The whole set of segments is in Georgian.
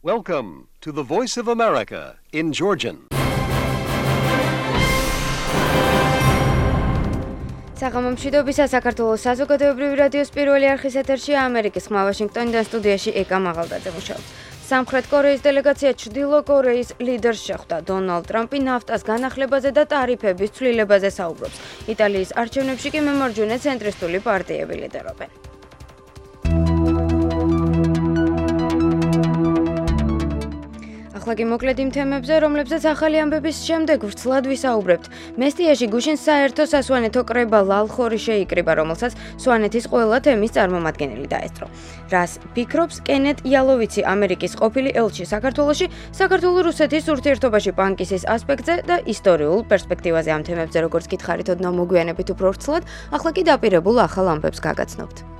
Welcome to the Voice of America in Georgian. საღამომშვიდობისა საქართველოს საზოგადოებრივი რადიოს პირველი არხის ეთერში ამერიკის ხმა ვაშინგტონიდან სტუდიაში ეკა მაღალდაძე მუშაობს. სამხრეთ კორეის დელეგაცია ჩრდილო კორეის ლიდერს შეხვდა. დონალდ ტრამპი ნაფტას განახლებაზე და ტარიფების ცვლილებაზე საუბრობს. იტალიის არჩევნებში კი მემარჯვენე ცენტრისტული პარტიები ლიდერობენ. ახლა მოკლედ იმ თემებზე, რომლებზეც ახალი ამბების შემდეგ ვრცლად ვისაუბრებთ. მესტიაში გუშინ საერთო სასვანეთო კრება ლალხორი შეიკრიბა, რომელსაც სვანეთის ყველა თემის წარმომადგენელი დაესწრო. რას ფიქრობს კენეთ იალოვიცი, ამერიკის ყოფილი ელჩი საქართველოში, საქართველო-რუსეთის ურთიერთობაში პანკისის ასპექტზე და ისტორიულ პერსპექტივაზე ამ თემებზე, როგორც გითხარით, ოდნავ მოგვიანებით უფრო ვრცლად, ახლა კი დაპირებულ ახალ ამბებს გაგაცნობთ.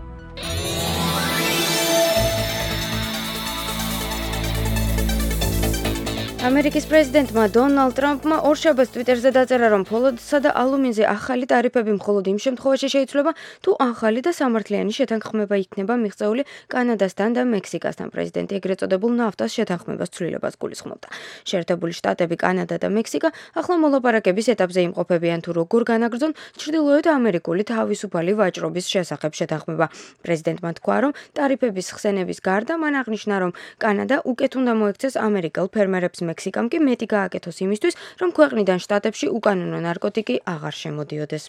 ამერიკის პრეზიდენტმა დონალდ ტრამპმა ორშაბათს ტვიტერზე დაწერა, რომ ფოლოდსა და ალუმინზე ახალი ტარიფები მხოლოდ იმ შემთხვევაში შეიცვლება, თუ ახალი და სამართლიანი შეთანხმება იქნება მიღწეული კანადასთან და მექსიკასთან. პრეზიდენტი ეგრეთ წოდებულ ნაფტას შეთანხმებას ცვლილებას გულისხმობდა. შეერთებული შტატები, კანადა და მექსიკა ახლა მოლაპარაკების ეტაპზე იმყოფებიან, თუ როგორ განაგრძონ ჩრდილოეთ ამერიკული თავისუფალი ვაჭრობის შესახებ შეთანხმება. პრეზიდენტმა თქვა, რომ ტარიფების ხსენების გარდა მან აღნიშნა, რომ კანადა უკეთ უნდა მოექცეს ამერიკელ ფერმერებს, მექსიკამ კი მეტი გააკეთოს იმისთვის, რომ ქვეყნიდან შტატებში უკანონო ნარკოტიკი აღარ შემოდიოდეს.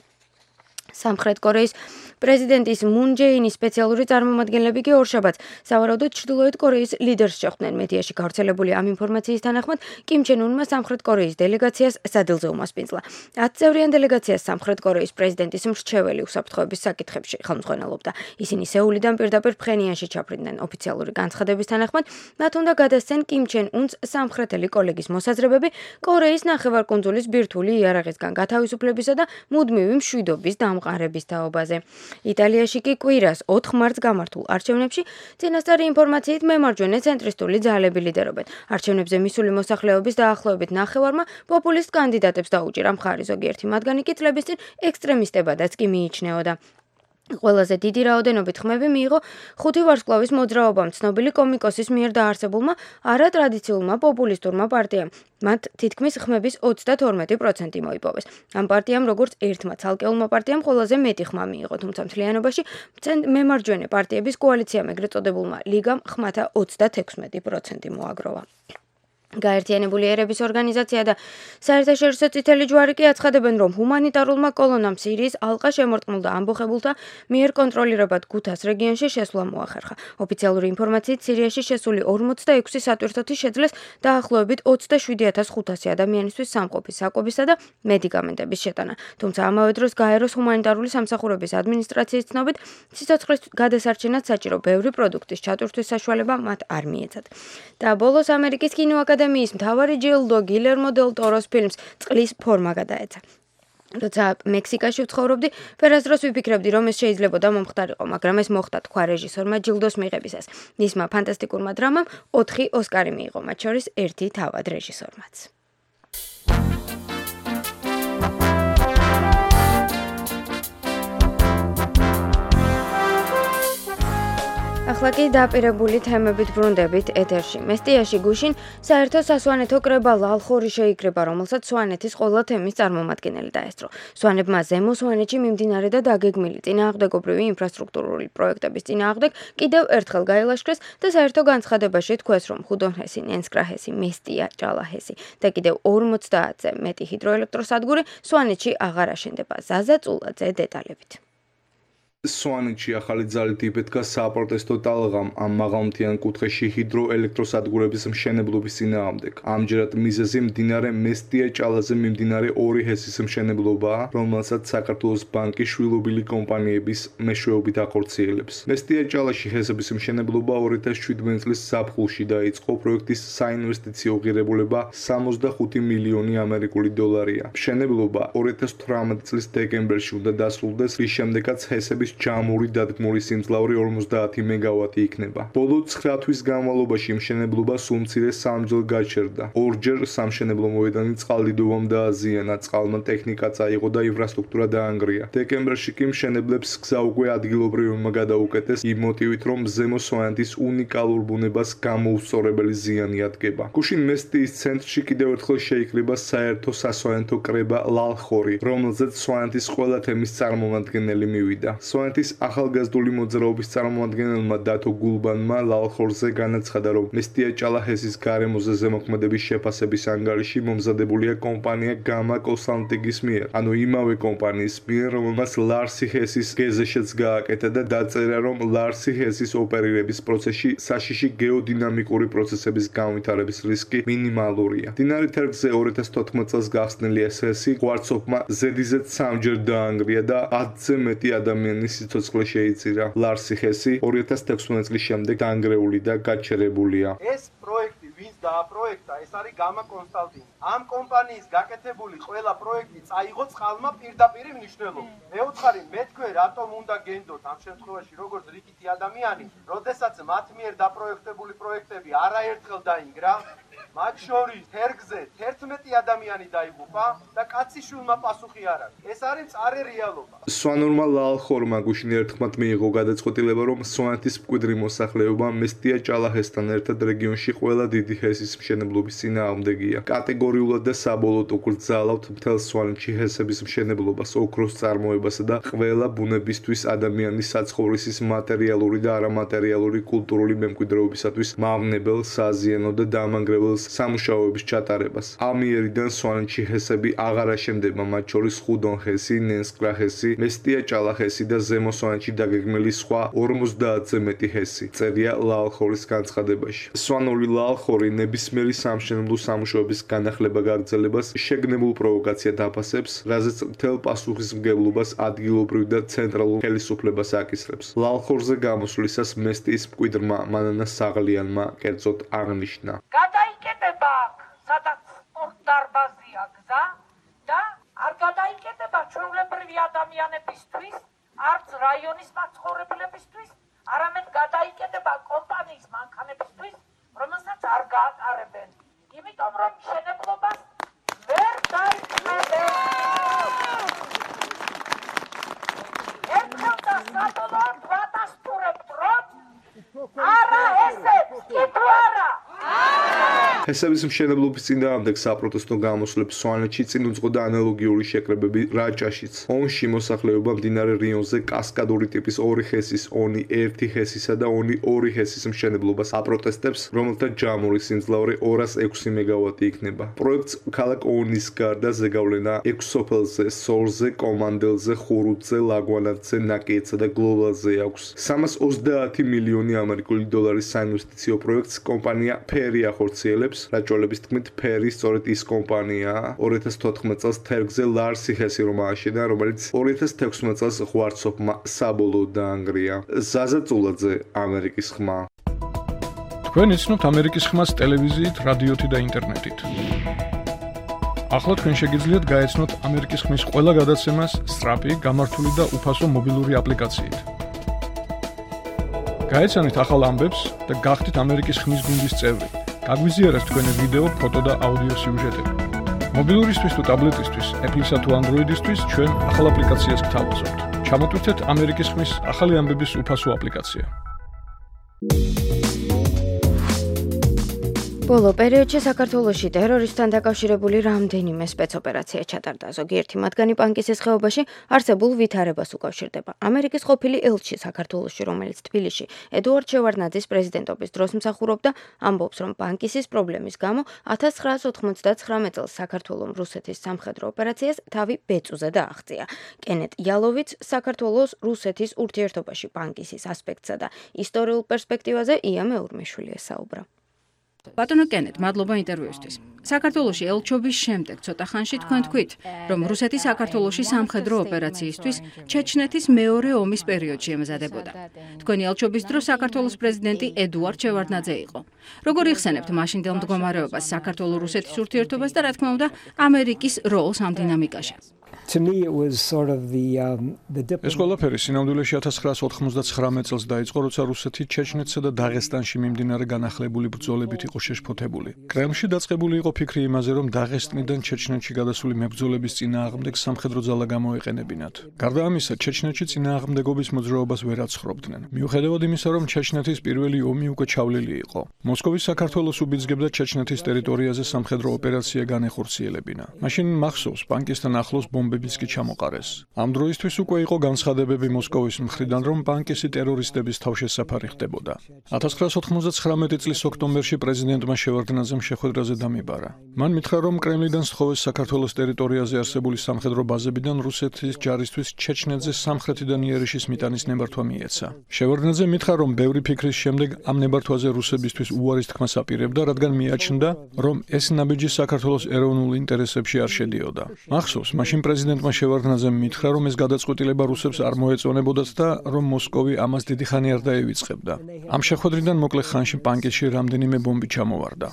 სამხრეთ კორეის პრეზიდენტის მუნ ჯეინის სპეციალური წარმომადგენლები კი ორშაბათს სავარაუდოდ ჩრდილოეთ კორეის ლიდერს შეხვდნენ. მედიაში გავრცელებული ამ ინფორმაციის თანახმად, კიმ ჩენ უნმა სამხრეთ კორეის დელეგაციას სადილზე უმასპინძლა. 10 წევრიან დელეგაციას სამხრეთ კორეის პრეზიდენტის მრჩეველი უსაფრთხოების საკითხებში ხელმძღვანელობდა. ისინი სეულიდან პირდაპირ ფხენიანში ჩაფრინდნენ. ოფიციალური განცხადების თანახმად, მათ უნდა გადასცენ კიმ ჩენ უნს სამხრეთელი კოლეგის მოსაზრებები კორეის ნახევარკუნძულის ბირთვული იარაღისგან გათავისუფლებისა და მუდმივი მშვიდობის დამყარების თაობაზე. იტალიაში კი კვირას 4 მარტს გამართულ არჩევნებში წინასწარი ინფორმაციით მემარჯვენე ცენტრისტული ძალები ლიდერობენ. არჩევნებზე მისული მოსახლეობის დაახლოებით ნახევარმა პოპულისტ კანდიდატებს დაუჭირა მხარი, ზოგიერთი მათგანი კი წლების წინ ექსტრემისტებადაც კი მიიჩნეოდა. ყველაზე დიდი რაოდენობით ხმები მიიღო 5 ვარსკვლავის მოძრაობამ, ცნობილი კომიკოსის მიერ დაარსებულმა არატრადიციულმა პოპულისტურმა პარტიამ. მათ თითქმის ხმების 32% მოიპოვეს. ამ პარტიამ, როგორც ერთმა ცალკეულმა პარტიამ, ყველაზე მეტი ხმა მიიღო, თუმცა მთლიანობაში მემარჯვენე პარტიების კოალიციამ, ეგრეთ წოდებულმა ლიგამ, ხმათა 36% მოაგროვა. გაერთიანებული ერების ორგანიზაცია და საერთაშორისო წითელი ჯვარი კი აცხადებენ, რომ ჰუმანიტარულმა კოლონამ სირიის ალყა შემორტყმულ და ამბოხებულთა მიერ კონტროლირებად გუთას რეგიონში შესვლა მოახერხა. ოფიციალური ინფორმაციით, სირიაში შესული 46 სატვირთოთი შეძლეს დაახლოებით 27,500 ადამიანისთვის სამყოფის, საკვებისა და მედიკამენტების შეტანა. თუმცა ამავე დროს გაეროს ჰუმანიტარული სამსახურების ადმინისტრაციის ცნობით, სიცოცხლის გადასარჩენად საჭირო ბევრი პროდუქტის ჩატვირთვის საშუალება მათ არ მიეცათ. და ბოლოს ამერიკის კინოაკადემიის მთავარი ჯილდო გილერმო დელ ტოროს ფილმს წყლის ფორმა გადაეცა. როცა მექსიკაში ვცხოვრობდი, ფერაზდროს ვიფიქრებდი, რომ ეს შეიძლებოდა მომხდარიყო, მაგრამ ეს მოხდა, თქვა რეჟისორმა ჯილდოს მიღებისას. მისმა ფანტასტიკურმა დრამამ 4 ოსკარი მიიღო, მათ შორის 1 თავად რეჟისორმაც. ახლა კი დაპირებული თემებით ბრუნდებით ეთერში. მესტიაში გუშინ საერთო სასვანეთო კრება ლალხორი შეიკრიბა, რომელსაც სვანეთის ყველა თემის წარმომადგენელი დაესწრო. სვანებმა ზემო სვანეთში მიმდინარე და დაგეგმილი წინააღმდეგობრივი ინფრასტრუქტურული პროექტების წინააღმდეგ კიდევ ერთხელ გაილაშქრეს და საერთო განცხადებაში თქვეს, რომ ხუდონჰესი, ნენსკრაჰესი, მესტია, ჭალაჰესი და კიდევ 50-ზე მეტი ჰიდროელექტროსადგური სვანეთში აღარ აშენდება. ზაზა წულაძე დეტალებით. სვანეთში ახალი ძალით იფეთქა საპროტესტო ტალღამ ამ მაღალმთიან კუთხეში ჰიდროელექტროსადგურების მშენებლობის წინააღმდეგ. ამჯერად მიზეზი მდინარე მესტია-ჭალაზე მიმდინარე 2 ჰესის მშენებლობაა, რომელსაც საქართველოს ბანკი შვილობილი კომპანიების მეშვეობით ახორციელებს. მესტია-ჭალაში ჰესების მშენებლობა 2017 წლის ზაფხულში დაიწყო. პროექტის საინვესტიციო ღირებულება 65 მილიონი ამერიკული დოლარია. მშენებლობა 2018 წლის დეკემბერში უნდა დასრულდეს, რის შემდეგაც ჰესების შორის ჯამური დადგმული სიმძლავრე 50 მეგავატი იქნება. ბოლო 9 თვის განმავლობაში მშენებლობა სულ მცირე 3 ჯერ გაჩერდა. ორჯერ სამშენებლო მოედანი წყალდიდობამ დააზიანა, წყალმა ტექნიკა წაიღო და ინფრასტრუქტურა დაანგრია. დეკემბერში კი მშენებლებს გზა უკვე ადგილობრივებმა გადაუკეტეს იმ მოტივით, რომ ზემო სვანეთის უნიკალურ ბუნებას გამოუსწორებელი ზიანი ადგება. გუშინ მესტიის ცენტრში კიდევ ერთხელ შეიკრიბა საერთო სასვანეთო კრება ლალხორი, რომელზეც სვანეთის ყველა თემის წარმომადგენელი მივიდა. სვანეთის ახალგაზრდული მოძრაობის წარმომადგენელმა დათო გულბანმა ლალხორზე განაცხადა, რომ მესტია ჭალაჰესის გარემოზე ზემოქმედების შეფასების ანგარიში მომზადებულია კომპანია გამა კონსალტინგის მიერ, ანუ იმავე კომპანიის მიერ, რომელმაც ლარსი ჰესის გეზეშიც გააკეთა და დაწერა, რომ ლარსი ჰესის ოპერირების პროცესში საშიში გეოდინამიკური პროცესების განვითარების რისკი მინიმალურია. მდინარე თერგზე 2014 წელს გახსნილი ეს ჰესი ღვარცოფმა ზედიზედ 3 ჯერ დაანგრია და 10-ზე მეტი ადამიანის სიცოცხლე შეიწირა. ლარსი ჰესი 2016 წლის შემდეგ დაანგრეული და გაჩერებულია. ეს პროექტი ვინც დააპროექტა, ეს არის გამა კონსალტინგი. ამ კომპანიის გაკეთებული ყველა პროექტი წაიღო წყალმა პირდაპირ მნიშვნელობით. მეუთხარი, მე თქვენ რატომ უნდა გენდოთ ამ შემთხვევაში როგორც რიგითი ადამიანი, როდესაც მათ მიერ დაპროექტებული პროექტები არაერთხელ დაინგრა, მათ შორის თერგზე 11 ადამიანი დაიღუპა და კაციშვილმა პასუხი არ აქვს. ეს არის მწარე რეალობა. სვანურმა ლალხორმა გუშინ ერთხმად მიიღო გადაწყვეტილება, რომ სვანეთის მკვიდრი მოსახლეობა მესტია ჭალაჰესთან ერთად რეგიონში ყველა დიდი ჰესის მშენებლობის წინააღმდეგია. კატეგორიულად და საბოლოოდ უკრძალავთ მთელ სვანეთში ჰესების მშენებლობას, ოქროს წარმოებასა და ყველა ბუნებისთვის ადამიანის საცხოვრისის მატერიალური და არამატერიალური კულტურული მემკვიდრეობისათვის მავნებელ, საზიანო და დამანგრეველ სამუშაოების ჩატარებას. ამიერიდან სვანეთში ჰესები აღარ აშენდება, მათ შორის ხუდონ ჰესი, ნენსკრა ჰესი, მესტია ჭალაჰესი და ზემო სვანეთში დაგეგმილი სხვა 50-ზე მეტი ჰესი. წერია ლალხორის განცხადებაში. სვანური ლალხორი ნებისმიერი სამშენებლო სამუშაოების განახლება გაგრძელებას შეგნებულ პროვოკაციად აფასებს, რაზეც მთელ პასუხისმგებლობას ადგილობრივ და ცენტრალურ ხელისუფლებას აკისრებს. ლალხორზე გამოსვლისას მესტიის მკვიდრმა მანანა საღლიანმა კერძოდ აღნიშნა. გადაიკეტება სადაც სპორტდარბაზია გზა და არ გადაიკეტება ჩვეულებრივი ადამიანებისთვის, არც რაიონის მაცხოვრებლებისთვის, არამედ გადაიკეტება კომპანიის მანქანებისთვის, რომელსაც არ გაატარებენ. იმიტომ რომ მშენებლობას ვერ დაიწყებენ. ერთხელ და საბოლოოდ ვადასტურებთ, რომ არა ესეც, კი თუ არა. ჰესების მშენებლობის წინააღმდეგ საპროტესტო გამოსვლებს სვანეთში წინ უძღოდა ანალოგიური შეკრებები რაჭაშიც. ონში მოსახლეობა მდინარე რიონზე კასკადური ტიპის 2 ჰესის, ონი 1 ჰესისა და ონი 2 ჰესის მშენებლობას აპროტესტებს, რომელთა ჯამური სიმძლავრე 206 მეგავატი იქნება. პროექტს ქალაქ ონის გარდა ზეგავლენა 6 სოფელზე, სორზე, კომანდელზე, ხურუთზე, ლაგვანათზე, ნაკიეთსა და გლობალზე აქვს. 330 მილიონი ამერიკული დოლარის საინვესტიციო პროექტს კომპანია ფერი ახორციელებს. რაჭველების თქმით, ფერი სწორედ ის კომპანიაა. 2014 წელს თერგზე ლარსი ჰესი რომ ააშენა, რომელიც 2016 წელს ღვარცოფმა საბოლოოდ დაანგრია. ზაზა წულაძე, ამერიკის ხმა. თქვენ იცნობთ ამერიკის ხმას ტელევიზიით, რადიოთი და ინტერნეტით. ახლა თქვენ შეგიძლიათ გაეცნოთ ამერიკის ხმის ყველა გადაცემას სწრაფი, გამართული და უფასო მობილური აპლიკაციით. გაეცანით ახალ ამბებს და გახდით ამერიკის ხმის გუნდის წევრი. გაგვიზიარეთ თქვენი ვიდეო, ფოტო და აუდიო სიუჟეტები. მობილურისთვის თუ ტაბლეტისთვის, Apple-ისა თუ Android-ისთვის ჩვენ ახალ აპლიკაციას გთავაზობთ. ჩამოტვირთეთ ამერიკის ხმის ახალი ამბების უფასო აპლიკაცია. ბოლო პერიოდში საქართველოში ტერორისტთან დაკავშირებული რამდენიმე სპეცოპერაცია ჩატარდა. ზოგიერთი მათგანი პანკისის ხეობაში არსებულ ვითარებას უკავშირდება. ამერიკის ყოფილი ელჩი საქართველოში, რომელიც თბილისში ედუარდ შევარდნაძის პრეზიდენტობის დროს მსახურობდა, ამბობს, რომ პანკისის პრობლემის გამო 1999 წელს საქართველოს რუსეთის სამხედრო ოპერაციას თავი ბეწუზე დააღწია. კენეტ იალოვიც საქართველოს რუსეთის ურთიერთობაში პანკისის ასპექტსა და ისტორიულ პერსპექტივაზე ია მეურმეშვილი ესაუბრა. ბატონო კენეტ, მადლობა ინტერვიუსთვის. საქართველოში ელჩობის შემდეგ ცოტა ხანში თქვენ თქვით, რომ რუსეთი საქართველოში სამხედრო ოპერაციისთვის ჩეჩნეთის მეორე ომის პერიოდში ემზადებოდა. თქვენი ელჩობის დროს საქართველოს პრეზიდენტი ედუარდ შევარდნაძე იყო. როგორ იხსენებთ მაშინდელ მდგომარეობას საქართველოს-რუსეთის ურთიერთობას და რა თქმა უნდა ამერიკის როლს ამ დინამიკაში? To me it was sort of the ეს ყველაფერი სინამდვილეში 1999 წელს დაიწყო, როცა რუსეთი ჩეჩნეთსა და დაღესტანში მიმდინარე განახლებული ბრძოლებით იყო შეშფოთებული. კრემლში დაწყებული იყო ფიქრი იმაზე, რომ დაღესტნიდან ჩეჩნეთში გადასული მებრძოლების წინააღმდეგ სამხედრო ძალა გამოეყენებინათ. გარდა ამისა, ჩეჩნეთში წინააღმდეგობის მოძრაობას ვერ აცხრობდნენ. მიუხედავად იმისა, რომ ჩეჩნეთის პირველი ომი უკვე ჩავლილი იყო. მოსკოვის საქართველოს უბიძგებდა ჩეჩნეთის ტერიტორიაზე სამხედრო ოპერაცია განეხორციელებინა. მაშინ მახსოვს, ბანკისთან ახლოს ბომბებიც კი ჩამოყარეს. ამ დროისთვის უკვე იყო განცხადებები მოსკოვის მხრიდან, რომ ბანკისი ტერორისტების თავშესაფარი ხდებოდა. 1999 წლის ოქტომბერში პრეზიდენტმა შევარდნაძემ შეხვედრაზე დამიბარა. მან მითხრა, რომ კრემლიდან სთხოვეს საქართველოს ტერიტორიაზე არსებული სამხედრო ბაზებიდან რუსეთის ჯარისთვის ჩეჩნეთზე სამხრეთიდან იერიშის მიტანის ნებართვა მიეცა. შევარდნაძე მითხრა, რომ ბევრი ფიქრის შემდეგ ამ ნებართვაზე რუსებისთვის უარის თქმას აპირებდა, რადგან მიაჩნდა, რომ ეს ნაბიჯი საქართველოს ეროვნულ ინტერესებში არ შედიოდა. მახსოვს, მაშინ პრეზიდენტმა შევარდნაძემ მითხრა, რომ ეს გადაწყვეტილება რუსებს არ მოეწონებოდათ და რომ მოსკოვი ამას დიდი ხანი არ დაევიწყებდა. ამ შეხვედრიდან მოკლე ხანში ბანკისში რამდენიმე ბომბი ჩამოვარდა.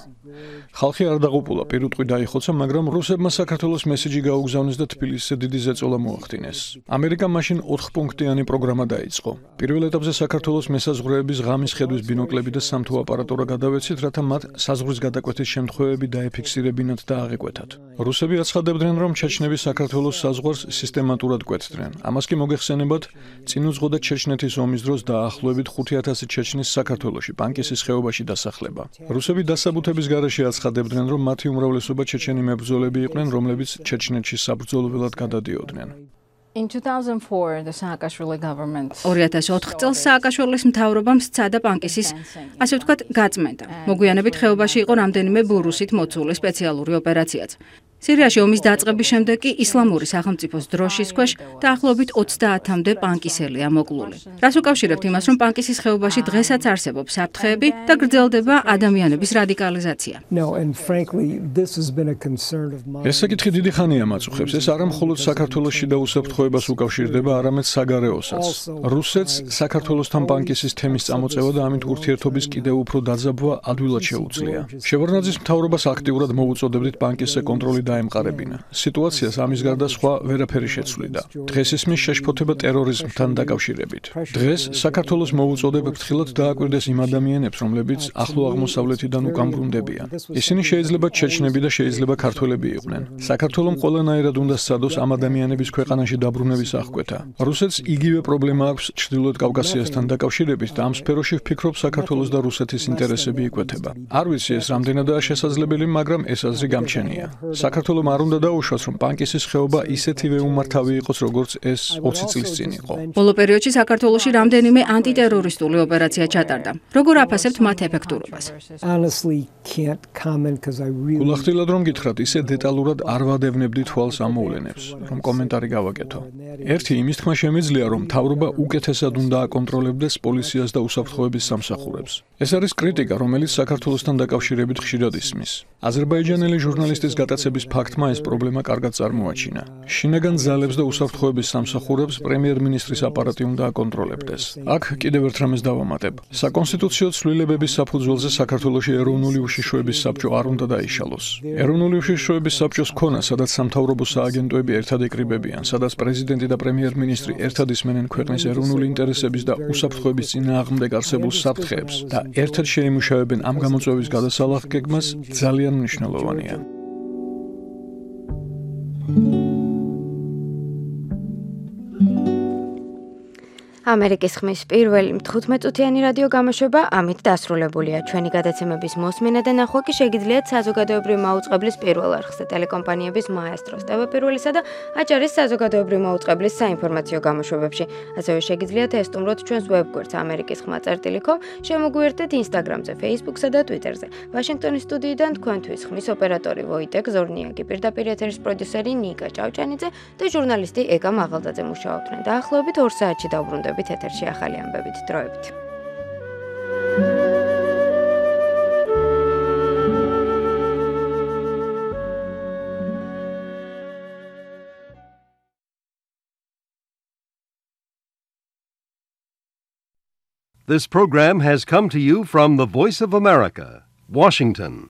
ხალხი არ დაღუპულა, პირუტყვი დაიხოცა, მაგრამ რუსებმა საქართველოს მესიჯი გაუგზავნეს და თბილისზე დიდი ზეწოლა მოახდინეს. ამერიკამ მაშინ 4 პუნქტიანი პროგრამა დაიწყო. პირველ ეტაპზე საქართველოს მესაზღვრეების ღამის ხედვის ბინოკლები და სამთო აპარატურა გადავეცით, რათა მათ საზღვრის გადაკვეთის შემთხვევები დაეფიქსირებინათ და აღეკვეთათ. რუსები აცხადებდნენ, რომ ჩეჩნები საქართველოს საზღვარს სისტემატურად კვეთდნენ. ამას კი მოგეხსენებათ, წინ უძღოდა ჩეჩნეთის ომის დროს დაახლოებით 5000 ჩეჩნის საქართველოში, ბანკისის ხეობაში დასახლება. რუსები დასაბუთების გარეშე აცხადებდნენ, რომ მათი უმრავლესობა ჩეჩენი მებრძოლები იყვნენ, რომლებიც ჩეჩნეთში საბრძოლველად გადადიოდნენ. In 2004 the Saakashvili government 2004 წელს სააკაშვილის მთავრობამ სცადა ბანკისის, ასე ვთქვათ, გაწმენდა. მოგვიანებით ხეობაში იყო რამდენიმე ბურუსით მოცული სპეციალური ოპერაციაც. სირიაში ომის დაწყების შემდეგ კი ისლამური სახელმწიფოს დროშის ქვეშ დაახლოებით 30-მდე ბანკისელია მოკლული. რას უკავშირებთ იმას, რომ ბანკისის ხეობაში დღესაც არსებობს საფრთხეები და გრძელდება ადამიანების რადიკალიზაცია? ეს საკითხი დიდი ხანია მაწუხებს. ეს არა მხოლოდ საქართველოში და უსაფრთხოებას უკავშირდება, არამედ საგარეოსაც. რუსეთს საქართველოსთან ბანკისის თემის წამოწევა და ამით ურთიერთობის კიდევ უფრო დაძაბვა ადვილად შეუძლია. შევარდნაძის მთავრობას აქტიურად მოუწოდებდით ბანკისზე კონტროლი დაემყარებინა. სიტუაციას ამის გარდა სხვა ვერაფერი შეცვლიდა. დღეს ისმის შეშფოთება ტერორიზმთან დაკავშირებით. დღეს საქართველოს მოუწოდებ ფრთხილად დააკვირდეს იმ ადამიანებს, რომლებიც ახლო აღმოსავლეთიდან უკან ბრუნდებიან. ისინი შეიძლება ჩეჩნები და შეიძლება ქართველები იყვნენ. საქართველოს ყველანაირად უნდა სცადოს ამ ადამიანების ქვეყანაში დაბრუნების აღკვეთა. რუსეთს იგივე პრობლემა აქვს ჩრდილოეთ კავკასიასთან დაკავშირებით და ამ სფეროში ვფიქრობ საქართველოს და რუსეთის ინტერესები იკვეთება. არ ვიცი ეს რამდენადაა შესაძლებელი, მაგრამ ეს აზრი გამჩენია. საქართველოს არ უნდა დაუშვას, რომ ბანკისის ხეობა ისეთივე უმართავი იყოს, როგორც ეს 20 წლის წინ იყო. ბოლო პერიოდში საქართველოში რამდენიმე ანტიტერორისტული ოპერაცია ჩატარდა. როგორ აფასებთ მათ ეფექტურობას? გულახდილად რომ გითხრათ, ისე დეტალურად არ ვადევნებდი თვალს ამ მოვლენებს, რომ კომენტარი გავაკეთო. ერთი იმის თქმა შემიძლია, რომ მთავრობა უკეთესად უნდა აკონტროლებდეს პოლიციას და უსაფრთხოების სამსახურებს. ეს არის კრიტიკა, რომელიც საქართველოსთან დაკავშირებით ხშირად ისმის. აზერბაიჯანელი ჟურნალისტის გატაცების ფაქტმა ეს პრობლემა კარგად წარმოაჩინა. შინაგან ძალებს და უსაფრთხოების სამსახურებს პრემიერ-მინისტრის აპარატი უნდა აკონტროლებდეს. აქ კიდევ ერთ რამეს დავამატებ. საკონსტიტუციო ცვლილებების საფუძველზე საქართველოში ეროვნული უშიშროების საბჭო არ უნდა დაიშალოს. ეროვნული უშიშროების საბჭოს ქონა, სადაც სამთავრობო სააგენტოები ერთად იკრიბებიან, სადაც პრეზიდენტი და პრემიერ-მინისტრი ერთად ისმენენ ქვეყნის ეროვნული ინტერესების და უსაფრთხოების წინააღმდეგ არსებულ საფრთხეებს და ერთად შეიმუშავებენ ამ გამოწვევის გადასალახგეგმას, ძალიან მნიშვნელოვანია. ამერიკის ხმის პირველი 15-წუთიანი რადიო გამოშვება ამით დასრულებულია. ჩვენი გადაცემების მოსმენა და ნახვა კი შეგიძლიათ საზოგადოებრივი მაუწყებლის პირველ არხზე, ტელეკომპანიების მაესტროს, TV პირველისა და აჭარის საზოგადოებრივი მაუწყებლის საინფორმაციო გამოშვებებში. ასევე შეგიძლიათ ესტუმროთ ჩვენს ვებგვერდს amerikiskhma.com, შემოგვიერთდეთ Instagram-ზე, Facebook-სა და Twitter-ზე. ვაშინგტონის სტუდიიდან თქვენთვის ხმის ოპერატორი ვოიტეკ ზორნიაკი, პირდაპირ ეთერის პროდიუსერი ნიკა ჭავჭანიძე და ჟურნალისტი ეკა მაღალდაძე მუშაობდნენ. დაახლოებით 2 საათში დავბრუნდებით ეთერში ახალი ამბებით. დროებით. This program has come to you from the Voice of America, Washington.